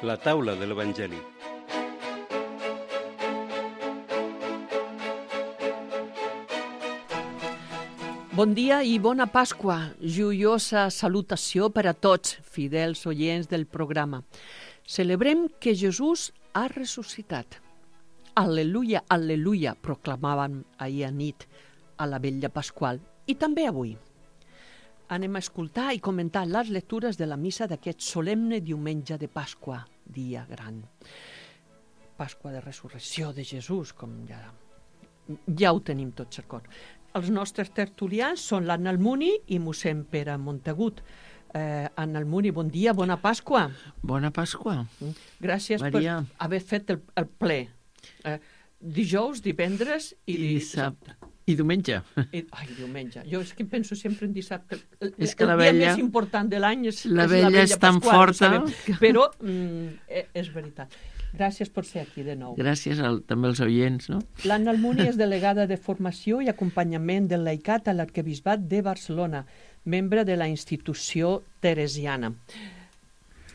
La taula de l'Evangeli. Bon dia i bona Pasqua. Joiosa salutació per a tots, fidels oients del programa. Celebrem que Jesús ha ressuscitat. Al·leluia, al·leluia, proclamaven ahir a nit a la vetlla pasqual i també avui. Anem a escoltar i comentar les lectures de la missa d'aquest solemne diumenge de Pasqua, dia gran. Pasqua de resurrecció de Jesús, com ja ho tenim tot cercot. Els nostres tertulians són l'Anna Almuni i mossèn Pere Montagut. Anna Almuni, bon dia, bona Pasqua. Bona Pasqua. Gràcies Maria. per haver fet el ple. Dijous, divendres i dissabte. I diumenge. Diumenge. Jo és que penso sempre en dissabte. És que el dia més important de l'any és la vetlla és tan pasqual, forta. Però és veritat. Gràcies per ser aquí de nou. Gràcies també als oients, no? L'Anna Almuni és delegada de formació i acompanyament del laicat a l'Arquebisbat de Barcelona, membre de la institució teresiana.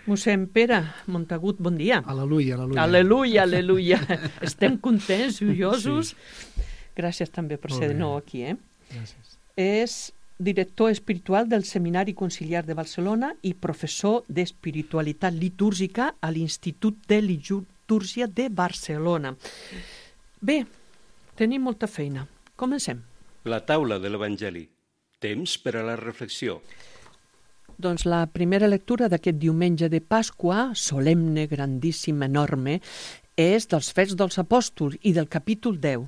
Mossèn Pere Montagut, bon dia. Al·leluia, al·leluia. Al·leluia, al·leluia. Estem contents, joiosos. Sí. Gràcies també per ser de nou aquí. Gràcies. És director espiritual del Seminari Conciliar de Barcelona i professor d'espiritualitat litúrgica a l'Institut de Litúrgia de Barcelona. Bé, tenim molta feina. Comencem. La taula de l'Evangeli. Temps per a la reflexió. Doncs la primera lectura d'aquest diumenge de Pasqua, solemne, grandíssim, enorme, és dels Fets dels Apòstols i del capítol 10.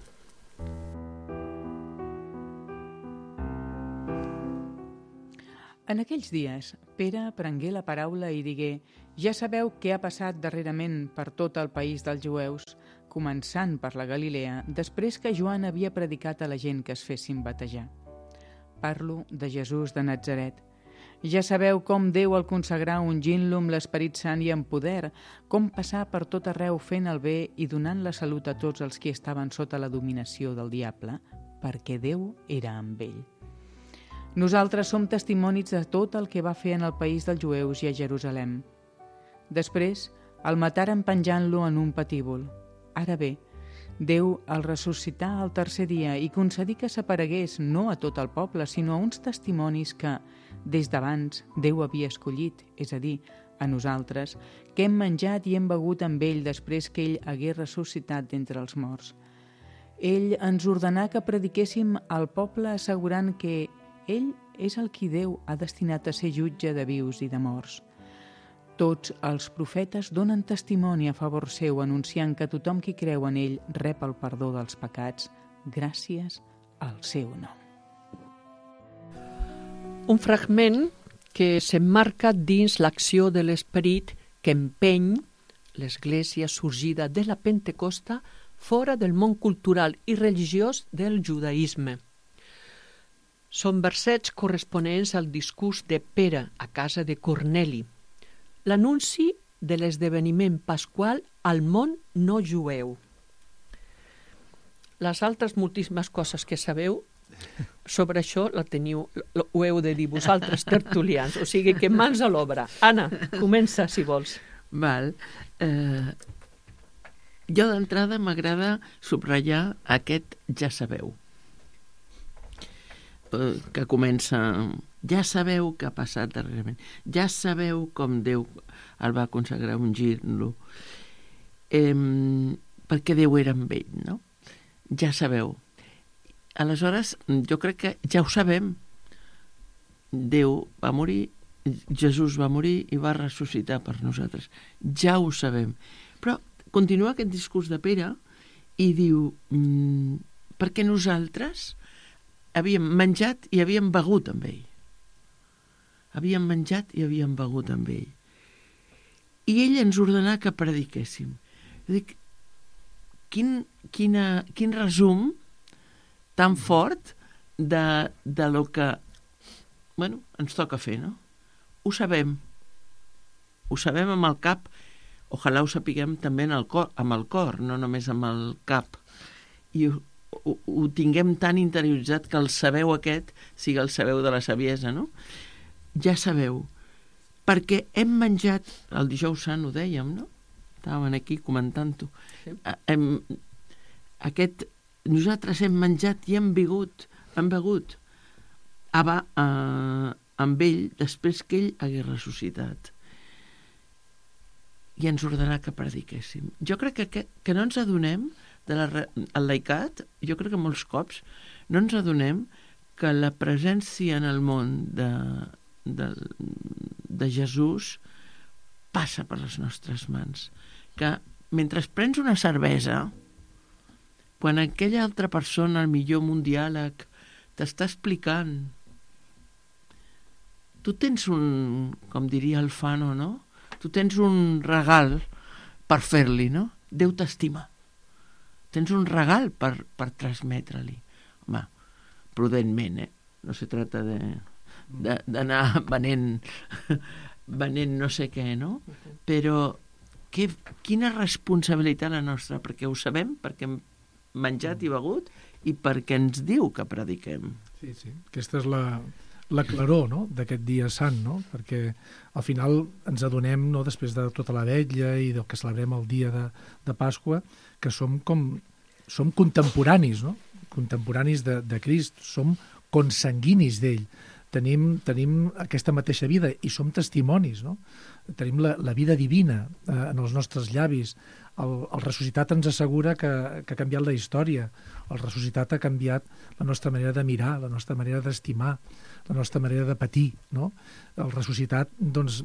En aquells dies, Pere prengué la paraula i digué: «Ja sabeu què ha passat darrerament per tot el país dels jueus, començant per la Galilea, després que Joan havia predicat a la gent que es fessin batejar. Parlo de Jesús de Natzaret. Ja sabeu com Déu el consagrà ungint-lo amb l'Esperit Sant i amb poder, com passar per tot arreu fent el bé i donant la salut a tots els que estaven sota la dominació del diable, perquè Déu era amb ell. Nosaltres som testimonis de tot el que va fer en el país dels jueus i a Jerusalem. Després el mataren penjant-lo en un patíbul. Ara bé, Déu el ressuscità al tercer dia i concedí que s'aparegués no a tot el poble, sinó a uns testimonis que, des d'abans, Déu havia escollit, és a dir, a nosaltres, que hem menjat i hem begut amb ell després que ell hagués ressuscitat d'entre els morts. Ell ens ordenà que prediquéssim al poble assegurant que ell és el qui Déu ha destinat a ser jutge de vius i de morts. Tots els profetes donen testimoni a favor seu, anunciant que tothom qui creu en ell rep el perdó dels pecats gràcies al seu nom». Un fragment que s'emmarca dins l'acció de l'Esperit que empeny l'Església sorgida de la Pentecosta fora del món cultural i religiós del judaïsme. Són versets corresponents al discurs de Pere a casa de Corneli, l'anunci de l'esdeveniment pasqual al món no jueu. Les altres moltíssimes coses que sabeu sobre això ho heu de dir vosaltres, tertulians, o sigui que mans a l'obra. Anna, comença si vols. Val. Jo d'entrada m'agrada subratllar aquest ja sabeu, que comença: ja sabeu què ha passat darrerament, ja sabeu com Déu el va consagrar ungint-lo, perquè Déu era amb ell, no? Ja sabeu. Aleshores, jo crec que ja ho sabem. Déu va morir, Jesús va morir i va ressuscitar per nosaltres. Ja ho sabem. Però continua aquest discurs de Pere i diu: perquè nosaltres havíem menjat i havíem begut amb ell. Havíem menjat i havíem begut amb ell. I ell ens ordenà que prediquéssim. Dic, quin resum tan fort de lo que ens toca fer, no? Ho sabem amb el cap, ojalà ho sapiguem també amb el cor, no només amb el cap. I ho tinguem tan interioritzat que el sabeu aquest sigui el sabeu de la saviesa, no? Ja sabeu. perquè hem menjat, el dijous sant ho dèiem, no? Estàvem aquí comentant-ho. Sí. Nosaltres hem menjat i hem begut amb ell després que ell hagués ressuscitat. I ens ordenà que prediquéssim. Jo crec que no ens adonem el laicat, jo crec que molts cops no ens adonem que la presència en el món de Jesús passa per les nostres mans. Que mentre prens una cervesa, quan aquella altra persona, el millor amb un diàleg, t'està explicant, tu tens com diria el Fano, no? Tu tens un regal per fer-li, no? Déu t'estima. Tens un regal per transmetre-li. Home, prudentment, no se trata d'anar venent no sé què, no? Però quina responsabilitat la nostra, perquè ho sabem, perquè hem menjat i begut i perquè ens diu que prediquem. Sí, sí. Aquesta és la claror, no?, d'aquest dia sant, no? Perquè al final ens adonem, no?, després de tota la vetlla i del que celebrem el dia de Pasqua, que som contemporanis, no?, contemporanis de Crist, som consanguinis d'ell. Tenim aquesta mateixa vida i som testimonis, no? Tenim la vida divina en els nostres llavis. El ressuscitat ens assegura que ha canviat la història. El ressuscitat ha canviat la nostra manera de mirar, la nostra manera d'estimar, la nostra manera de patir, no? El ressuscitat, doncs,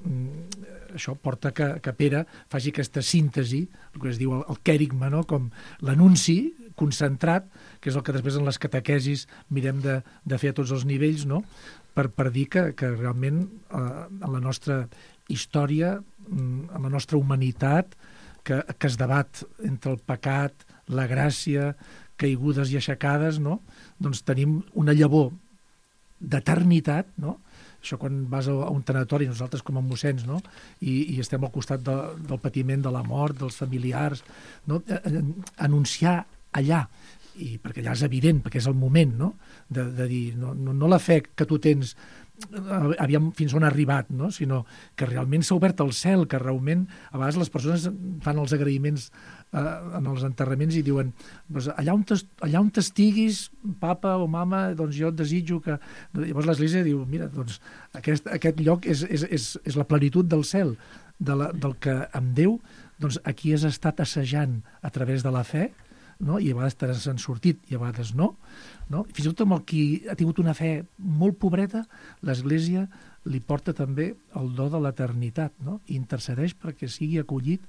això porta que Pere faci aquesta síntesi, el que es diu el quèrigma, no?, com l'anunci concentrat, que és el que després en les catequesis mirem de fer a tots els nivells, no?, per dir que realment en la nostra història, en la nostra humanitat, que es debat entre el pecat, la gràcia, caigudes i aixecades, no?, doncs tenim una llavor d'eternitat, no? Això quan vas a un tanatori, nosaltres com a mossens, no?, i estem al costat del patiment de la mort, dels familiars, no?, anunciar allà, i perquè allà és evident, perquè és el moment, no?, de dir, no la fe que tu tens aviam fins on ha arribat, no?, sinó que realment s'ha obert el cel, que realment a vegades les persones fan els agraïments en els enterraments i diuen, doncs, allà on t'estiguis, papa o mama, doncs jo et desitjo que... Llavors l'Església diu, mira, doncs aquest lloc és la plenitud del cel, del que amb Déu, doncs aquí has estat assajant a través de la fe, no? I a vegades te n'han sortit i a vegades no? Fins i tot amb el qui ha tingut una fe molt pobreta, l'Església li porta també el do de l'eternitat, no? I intercedeix perquè sigui acollit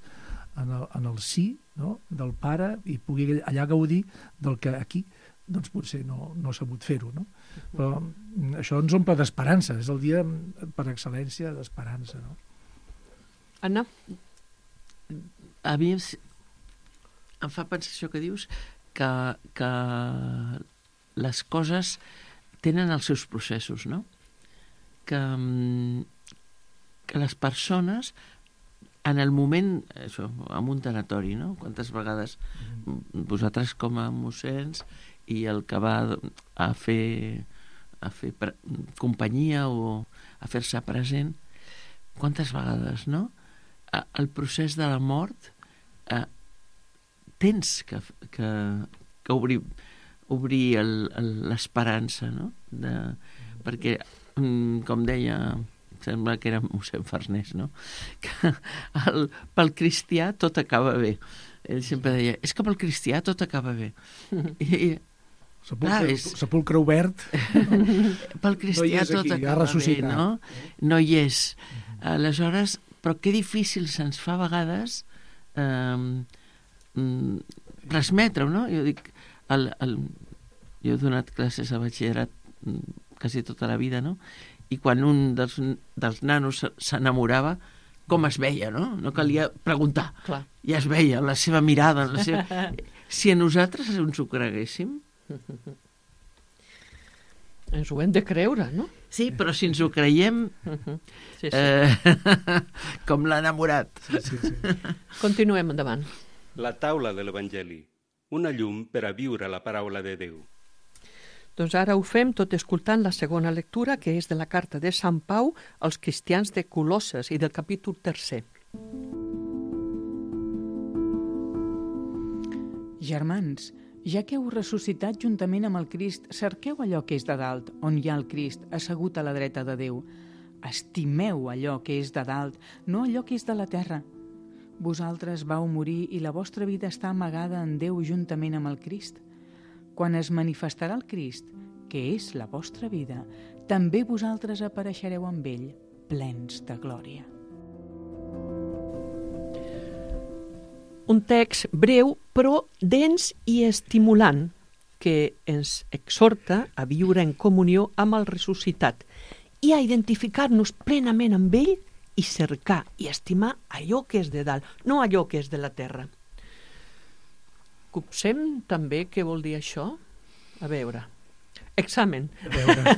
en el sí, no?, del Pare i pugui allà gaudir del que aquí doncs potser no ha sabut fer-ho, no? Però això ens omple d'esperança, és el dia per excel·lència d'esperança, no? Anna? A mi em fa pensar això que dius, que les coses tenen els seus processos, no? Que les persones, en el moment, això, en un tanatori, no? Quantes vegades vosaltres com a mossens i el que va a fer companyia o a fer-se present, quantes vegades, no? El procés de la mort tens que obrir l'esperança, no? Perquè, com deia, sembla que era mossèn Farnés, no?, que pel cristià tot acaba bé. Ell sempre deia, és que pel cristià tot acaba bé. Sepulcre obert. Pel cristià tot acaba bé, no? No hi és. Aleshores, però que difícil se'ns fa a vegades transmetre-ho, no? Jo dic, jo he donat classes a batxillerat quasi tota la vida, no? I quan un dels nanos s'enamorava, com es veia, no? No calia preguntar. Clar. Ja es veia, la seva mirada, Si a nosaltres ens ho creguéssim... Ens ho hem de creure, no? Sí, però si ens ho creiem... Sí. Com l'ha enamorat. Sí. Continuem endavant. La taula de l'Evangeli, una llum per a viure la paraula de Déu. Doncs ara ho fem tot escoltant la segona lectura, que és de la carta de Sant Pau als cristians de Colosses i del capítol 3. Germans, ja que heu ressuscitat juntament amb el Crist, cerqueu allò que és de dalt, on hi ha el Crist, assegut a la dreta de Déu. Estimeu allò que és de dalt, no allò que és de la terra. Vosaltres vau morir i la vostra vida està amagada en Déu juntament amb el Crist. Quan es manifestarà el Crist, que és la vostra vida, també vosaltres apareixereu amb ell, plens de glòria. Un text breu, però dens i estimulant, que ens exhorta a viure en comunió amb el ressuscitat i a identificar-nos plenament amb ell i cercar i estimar allò que és de dalt, no allò que és de la terra. Copsem també què vol dir això? A veure. Examen. A veure.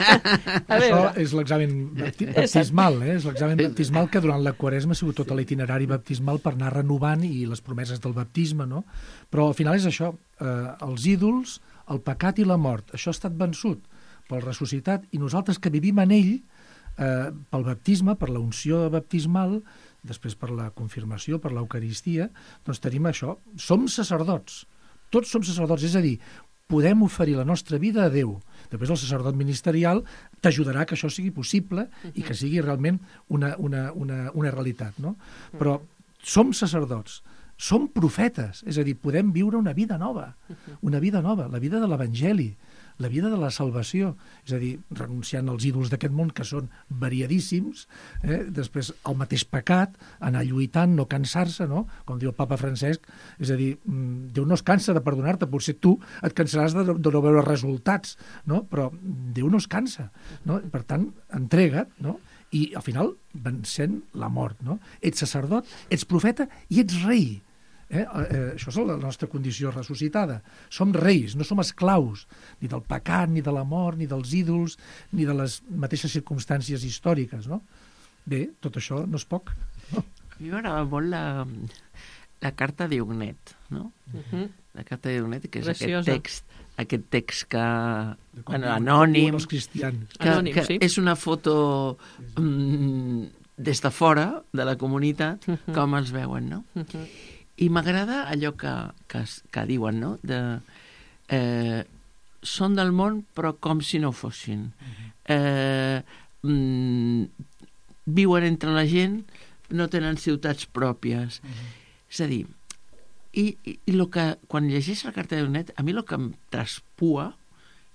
Això és l'examen baptismal, és l'examen baptismal que durant la Quaresma ha sigut tot l'itinerari baptismal per anar renovant i les promeses del baptisme, no? Però al final és això, els ídols, el pecat i la mort, això ha estat vençut pel ressuscitat i nosaltres que vivim en ell, pel baptisme, per la unció baptismal, després per la confirmació, per l'Eucaristia, doncs tenim això, som sacerdots. Tots som sacerdots, és a dir, podem oferir la nostra vida a Déu. Després el sacerdot ministerial t'ajudarà que això sigui possible i que sigui realment una realitat, no? Però som sacerdots, som profetes, és a dir, podem viure una vida nova, la vida de l'Evangeli, la vida de la salvació, és a dir, renunciant als ídols d'aquest món que són variadíssims, després el mateix pecat, anar lluitant, no cansar-se, no? Com diu el papa Francesc, és a dir, Déu no es cansa de perdonar-te, potser tu et cansaràs de no veure resultats, no? Però Déu no es cansa, no? Per tant, entrega't, no? I al final vencent la mort, no? Ets sacerdot, ets profeta i ets rei. Això és la nostra condició ressuscitada. Som reis, no som esclaus ni del pecat, ni de la mort, ni dels ídols, ni de les mateixes circumstàncies històriques, no? Bé, tot això no és poc, no? A mi m'agrada molt la carta d'Iugnet, no? La carta d'Iugnet, que és aquest text que anònim, que és una foto des de fora de la comunitat, com els veuen, no? I m'agrada allò que diuen, no? Són del món, però com si no fossin. Viuen entre la gent, no tenen ciutats pròpies. És a dir, quan llegeix la carta d'Iugnet, a mi el que em traspua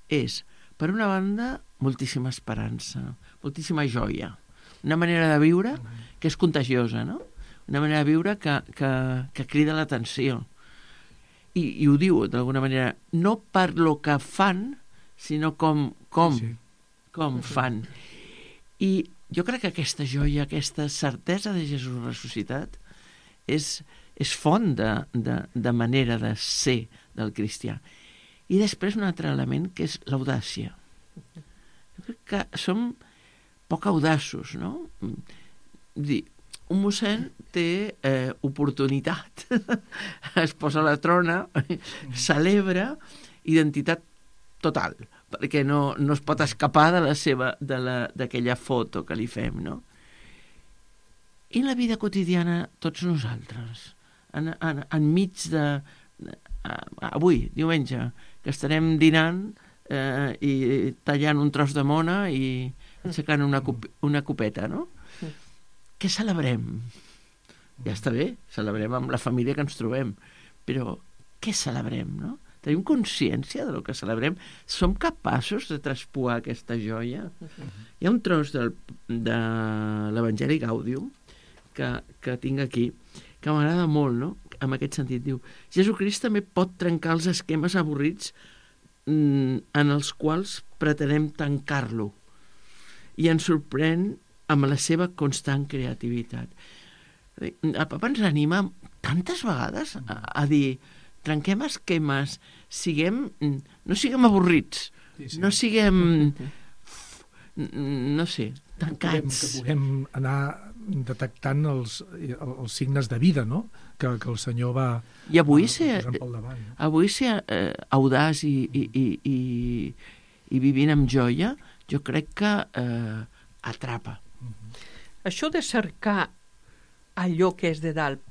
és, per una banda, moltíssima esperança, moltíssima joia, una manera de viure que és contagiosa, no? Una manera de viure que crida l'atenció. I ho diu, d'alguna manera, no per lo que fan, sinó com fan. I jo crec que aquesta joia, aquesta certesa de Jesús ressuscitat és font de manera de ser del cristià. I després un altre element que és l'audàcia. Jo crec que som poc audaços, no? Un mossèn té oportunitat, es posa a la trona, celebra identitat total, perquè no es pot escapar d'aquella foto que li fem, no? I la vida quotidiana, tots nosaltres, enmig de... Avui, diumenge, que estarem dinant i tallant un tros de mona i aixecant una copeta, no? Què celebrem? Ja està bé, celebrem amb la família que ens trobem, però què celebrem, no? Tenim consciència del que celebrem? Som capaços de traspuar aquesta joia? Hi ha un tros de l'Evangeli Gaudium que tinc aquí, que m'agrada molt, no? En aquest sentit, diu, Jesucrist també pot trencar els esquemes avorrits en els quals pretenem tancar-lo i ens sorprèn amb la seva constant creativitat. El papa ens anima tantes vegades a dir trenquem esquemes, no siguem avorrits, no siguem, no sé, tancats. Que puguem anar detectant els signes de vida, no? Que el Senyor va I avui posant pel davant. Avui ser audaç i vivint amb joia, jo crec que atrapa. Això de cercar allò que és de dalt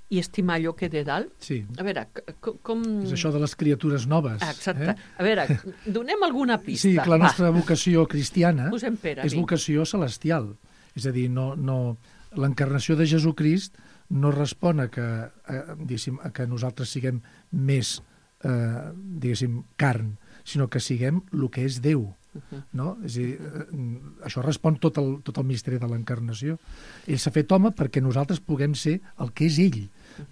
i estimar allò que és de dalt, Sí. a veure, com... És això de les criatures noves. Exacte. A veure, donem alguna pista. Sí, que la nostra vocació cristiana Posem pera, és vinga. vocació celestial. És a dir, l'encarnació de Jesucrist no respon a que, a que nosaltres siguem més, diguéssim, carn, sinó que siguem el que és Déu. No? És a dir, això respon tot el misteri de l'encarnació. Ell s'ha fet home perquè nosaltres puguem ser el que és ell.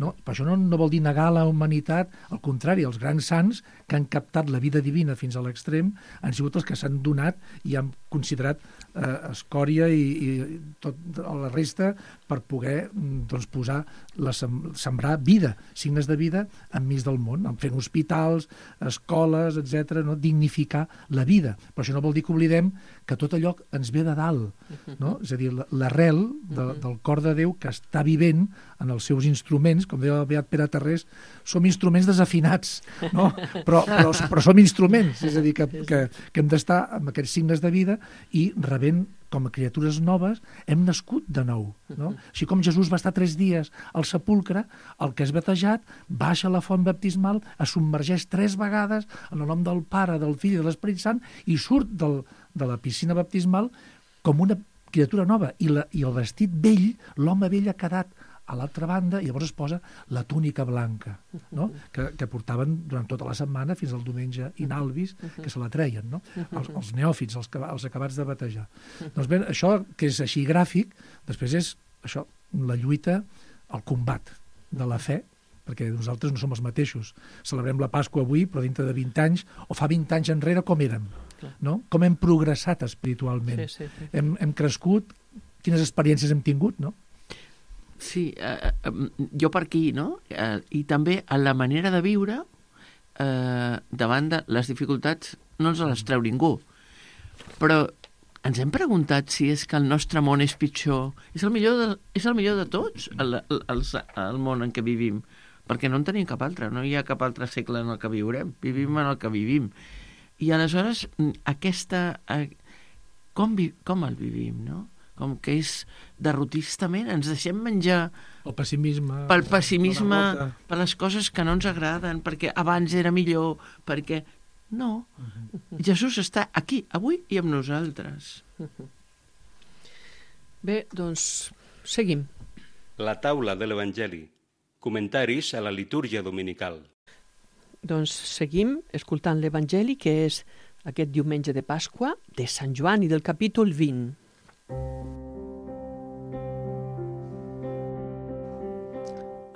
No? Per això no vol dir negar la humanitat, al contrari, els grans sants que han captat la vida divina fins a l'extrem han sigut els que s'han donat i han considerat escòria i tot la resta per poder posar sembrar vida, signes de vida enmig del món, fent hospitals, escoles, etc., no? Dignificar la vida. Però això no vol dir que oblidem que tot allò ens ve de dalt, no? És a dir, l'arrel del cor de Déu que està vivent en els seus instruments, com deia el beat Pere Tarrés, som instruments desafinats, no? però som instruments, és a dir, que hem d'estar amb aquests signes de vida i rebent com a criatures noves, hem nascut de nou. No? Així com Jesús va estar 3 dies al sepulcre, el que és batejat baixa a la font baptismal, es submergeix 3 vegades en el nom del Pare, del Fill i de l'Esperit Sant i surt de la piscina baptismal com una criatura nova. I el vestit vell, l'home vell ha quedat a l'altra banda, i llavors es posa la túnica blanca, no? que portaven durant tota la setmana fins al diumenge inalvis, que se la treien, no? Els neòfits, els acabats de batejar. Doncs bé, això que és així gràfic, després és això, la lluita, el combat de la fe, perquè nosaltres no som els mateixos. Celebrem la Pasqua avui, però dintre de 20 anys, o fa 20 anys enrere, com érem? No? Com hem progressat espiritualment? Sí. Hem crescut? Quines experiències hem tingut, no? Sí, jo per aquí, no? I també a la manera de viure davant de les dificultats no ens les treu ningú. Però ens hem preguntat si és que el nostre món és pitjor. És el millor de tots, el món en què vivim, perquè no en tenim cap altre, no hi ha cap altre segle en el que viurem, vivim en el que vivim. I aleshores, com el vivim, no? Com que és derrotistament, ens deixem menjar el pessimisme, pel pessimisme, per les coses que no ens agraden, perquè abans era millor, perquè... No, Jesús està aquí, avui i amb nosaltres. Bé, doncs, seguim. La taula de l'Evangeli. Comentaris a la litúrgia dominical. Doncs seguim escoltant l'Evangeli, que és aquest diumenge de Pasqua, de Sant Joan i del capítol 20.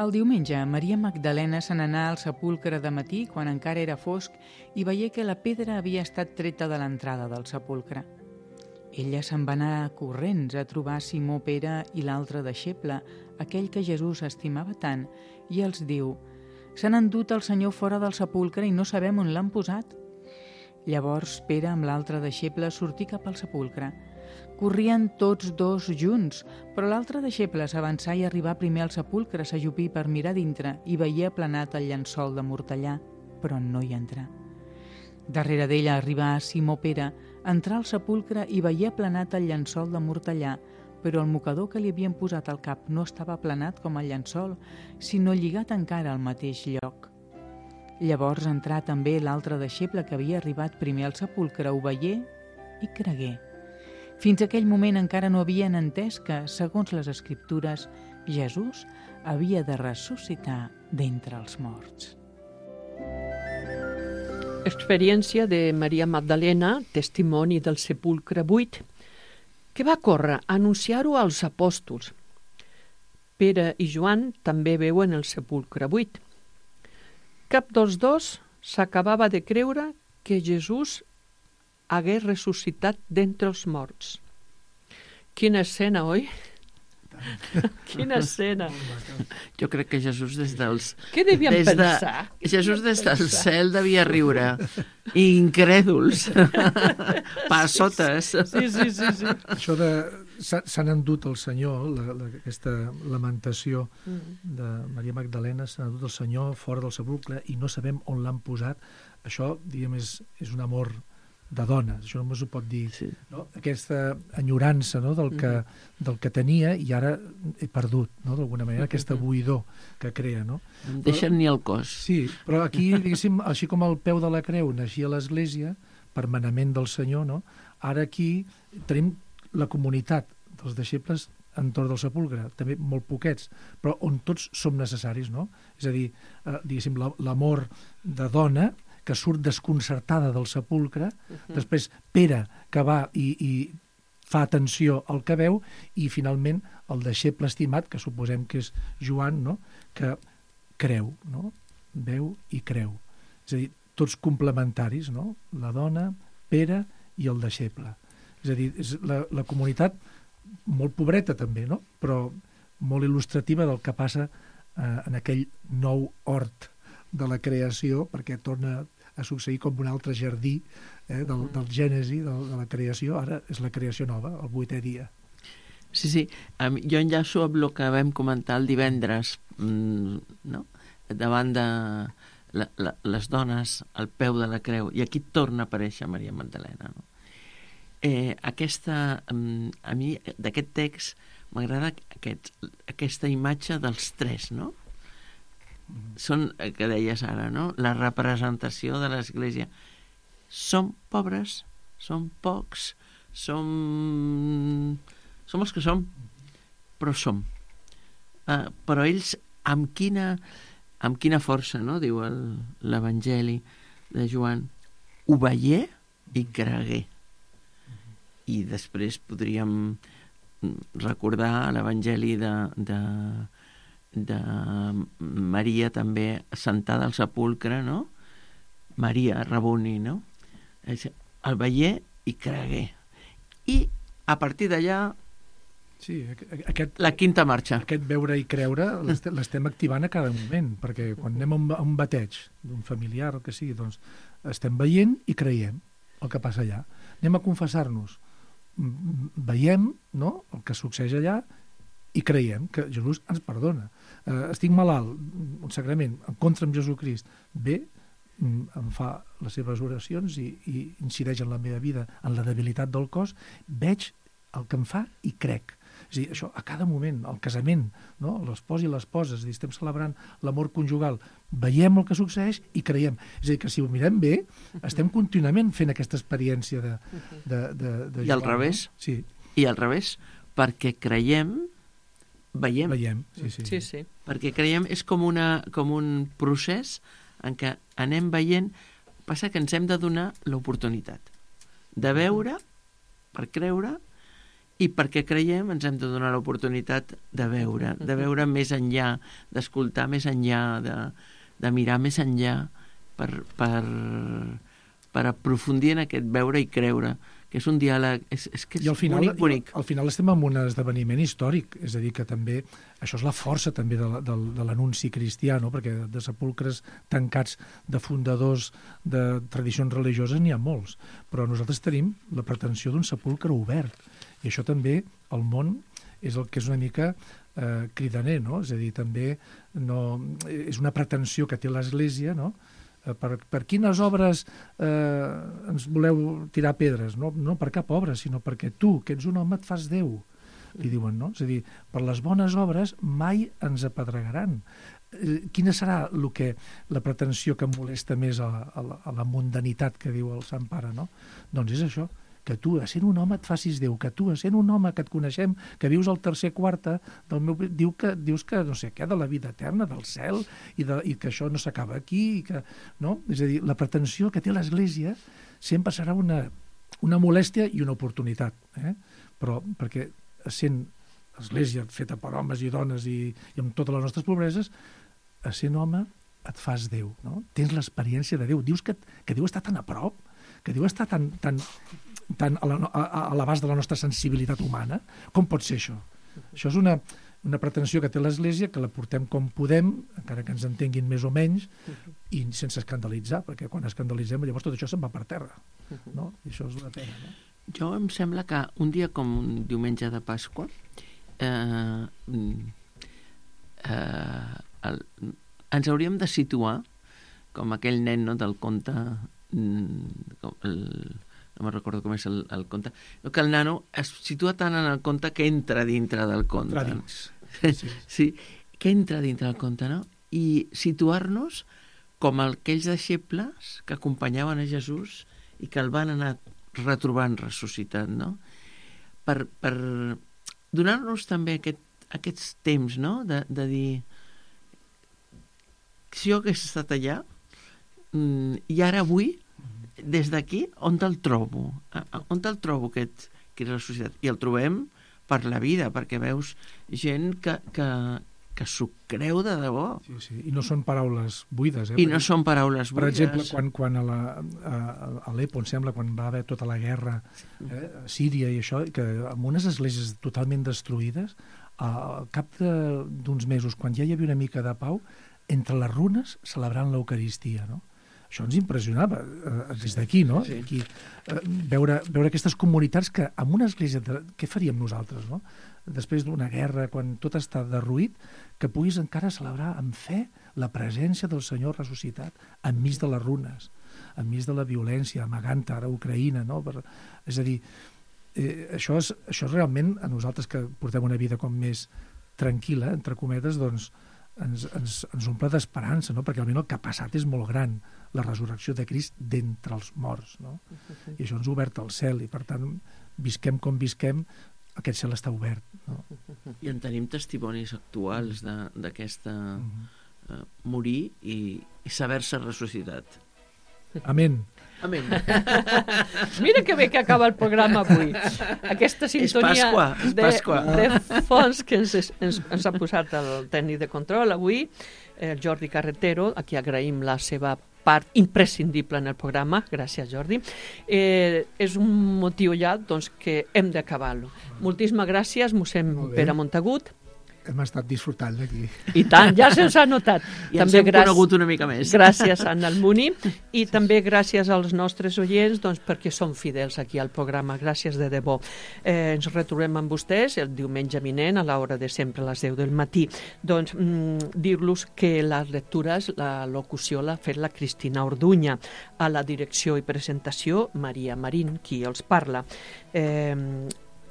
El diumenge, Maria Magdalena se n'anà al sepulcre de matí quan encara era fosc i veié que la pedra havia estat treta de l'entrada del sepulcre. Ella se'n va anar corrents a trobar Simó Pere i l'altre deixeble, aquell que Jesús estimava tant, i els diu: «S'han endut el Senyor fora del sepulcre i no sabem on l'han posat». Llavors Pere amb l'altre deixeble sortí cap al sepulcre. Corrien tots 2 junts, però l'altre deixeble s'avançà i arribà primer al sepulcre, s'ajupí per mirar dintre i veié aplanat el llençol de mortellà, però no hi entrà. Darrere d'ella arribà Simó Pere, entrà al sepulcre i veié aplanat el llençol de mortellà, però el mocador que li havien posat al cap no estava aplanat com el llençol, sinó lligat encara al mateix lloc. Llavors entrà també l'altre deixeble que havia arribat primer al sepulcre, ho veié i cregué. Fins aquell moment encara no havien entès que, segons les Escriptures, Jesús havia de ressuscitar d'entre els morts. Experiència de Maria Magdalena, testimoni del sepulcre buit, que va córrer a anunciar-ho als apòstols. Pere i Joan també veuen el sepulcre buit. Cap dels dos s'acabava de creure que Jesús hagués ressuscitat d'entre els morts. Quina escena, oi? Quina escena. Jo crec que Jesús des dels... Què devien pensar? Jesús des del cel devia riure. Incrèduls. Passotes. Sí. Això de s'han endut el Senyor, aquesta lamentació de Maria Magdalena, s'han endut el Senyor fora del sepulcre i no sabem on l'han posat. Això, diguem, és un amor de dona, això només ho pot dir, Sí. no? Aquesta enyorança, no? del que tenia i ara he perdut, no? D'alguna manera, aquesta buidor que crea, no? No em deixen ni el cos. Sí, però aquí, diguéssim, així com el peu de la creu naixia a l'Església, per manament del Senyor, no? Ara aquí tenim la comunitat dels deixebles entorn del sepulcre, també molt poquets, però on tots som necessaris, no? És a dir, diguéssim, l'amor de dona que surt desconcertada del sepulcre, després Pere, que va i fa atenció al que veu, i finalment el deixeble estimat, que suposem que és Joan, no? Que creu, no? Veu i creu. És a dir, tots complementaris, no? La dona, Pere i el deixeble. És a dir, és la comunitat molt pobreta també, no? Però molt il·lustrativa del que passa en aquell nou hort de la creació, perquè torna a succeir com un altre jardí del Gènesi, de la creació. Ara és la creació nova, el 8è dia. Sí. Jo enllaço amb el que vam comentar el divendres, no? Davant de les dones al peu de la creu, i aquí torna a aparèixer Maria Magdalena, no? A mi d'aquest text m'agrada aquesta imatge dels tres, no? Són, que deies ara, no? La representació de l'Església. Som pobres, som pocs, som els que som, però som. Però ells amb quina força, no? Diu l'Evangeli de Joan, ho veié i cregué. I després podríem recordar l'Evangeli de Maria també sentada al sepulcre, no? Maria, Rabuni, no? El veié i cregué. I a partir d'allà Sí, la quinta marxa. Aquest veure i creure l'estem activant a cada moment, perquè quan anem a un bateig d'un familiar, el que sigui, doncs estem veient i creiem el que passa allà. Anem a confessar-nos, veiem, no?, el que succeeix allà i creiem que Jesús ens perdona. Estic malalt, un sagrament, encontre amb Jesucrist, bé, em fa les seves oracions i incideix en la meva vida, en la debilitat del cos, veig el que em fa i crec. És a dir, això a cada moment, el casament, no? L'espòs i l'esposa, és a dir, estem celebrant l'amor conjugal, veiem el que succeeix i creiem. És a dir, que si ho mirem bé, estem contínuament fent aquesta experiència de Joan. I al revés. No? Sí. I al revés, perquè creiem, veiem. Veiem, sí. Sí. Perquè creiem és com un procés en què anem veient, passa que ens hem de donar l'oportunitat de veure, per creure, i perquè creiem ens hem de donar l'oportunitat de veure més enllà, d'escoltar més enllà, de mirar més enllà, per aprofundir en aquest veure i creure, que és un diàleg, és que és bonic. Al final estem en un esdeveniment històric, és a dir, que també, això és la força també de l'anunci cristià, no? Perquè de sepulcres tancats, de fundadors de tradicions religioses n'hi ha molts, però nosaltres tenim la pretensió d'un sepulcre obert, i això també, el món, és el que és una mica cridaner, no? És a dir, també és una pretensió que té l'Església, no? Per quines obres ens voleu tirar pedres? No per cap obra, sinó perquè tu, que ets un home, et fas Déu, li diuen, no? És a dir, per les bones obres mai ens apedregaran. Quina serà la pretensió que molesta més a la mundanitat que diu el Sant Pare, no? Doncs és això, que tu, sent un home, et facis Déu, que tu, sent un home que et coneixem, que vius al tercer quarta del meu... Dius que no sé què, de la vida eterna, del cel, i que això no s'acaba aquí, i que... No? És a dir, la pretensió que té l'Església sempre serà una molèstia i una oportunitat, però perquè sent Església feta per homes i dones i amb totes les nostres pobreses, sent home et fas Déu, no? Tens l'experiència de Déu. Dius que Déu està tan a prop, que Déu està tan a l'abast de la nostra sensibilitat humana. Com pot ser això? Això és una pretensió que té l'Església, que la portem com podem, encara que ens entenguin més o menys, i sense escandalitzar, perquè quan escandalitzem llavors tot això se'n va per terra, no? I això és una pena, no? Jo em sembla que un dia com un diumenge de Pasqua ens hauríem de situar com aquell nen, no, del conte no me'n recordo com és el conte, que el nano es situa tant en el conte que entra dintre del conte. Entra dins. Sí, que entra dintre del conte, no? I situar-nos com aquells deixebles que acompanyaven a Jesús i que el van anar retrobant ressuscitat, no? Per donar-nos també aquests temps, no? De dir, si jo hagués estat allà, i ara avui, des d'aquí, on te'l trobo? On te'l trobo, aquest ressuscitat? I el trobem per la vida, perquè veus gent que s'ho creu de debò. Sí. I no són paraules buides. I no són paraules buides. Per exemple, quan a Alepo, em sembla, quan va haver tota la guerra a Síria i això, que amb unes esglésies totalment destruïdes, al cap d'uns mesos, quan ja hi havia una mica de pau, entre les runes celebrant l'Eucaristia, no? Això ens impressionava des d'aquí, no? Sí. Aquí, veure aquestes comunitats que amb una església... Què faríem nosaltres, no? Després d'una guerra, quan tot està derruït, que puguis encara celebrar amb fe la presència del Senyor ressuscitat enmig de les runes, enmig de la violència, amagant ara a Ucraïna, no? És a dir, això és realment, a nosaltres que portem una vida com més tranquil·la, entre cometes, doncs ens omple d'esperança, no? Perquè realment el que ha passat és molt gran, la resurrecció de Crist d'entre els morts, no? I això ens ha obert el cel, i per tant, visquem com visquem, aquest cel està obert, no? I en tenim testimonis actuals d'aquesta morir i saber-se ressuscitat. Amén. Amén. Mira que bé que acaba el programa avui. Aquesta sintonia és Pasqua. de fons que ens ha posat el tècnic de control avui, el Jordi Carretero, a qui agraïm la seva part imprescindible en el programa. Gràcies, Jordi. És un motiu ja doncs, que hem d'acabar-lo. Moltíssimes gràcies, mossèn Pere Montagut. Hem estat disfrutant d'aquí. I tant, ja se'ns ha notat. I ens hem conegut una mica més. Gràcies a el Muni i també gràcies als nostres oients doncs, perquè són fidels aquí al programa. Gràcies de debò. Ens retrobem amb vostès el diumenge vinent a l'hora de sempre, a les 10 del matí. Doncs dir-los que les lectures, la locució l'ha fet la Cristina Orduña, a la direcció i presentació Maria Marín, qui els parla.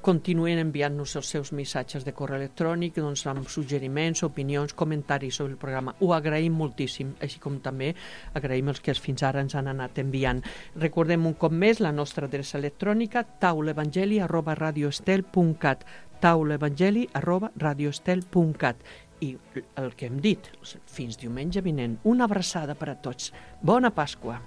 Continuen enviant-nos els seus missatges de correu electrònic, doncs, amb suggeriments, opinions, comentaris sobre el programa. Ho agraïm moltíssim, així com també agraïm els que fins ara ens han anat enviant. Recordem un cop més la nostra adreça electrònica taulaevangeli@radioestel.cat taulaevangeli@radioestel.cat i el que hem dit, fins diumenge vinent. Una abraçada per a tots. Bona Pasqua.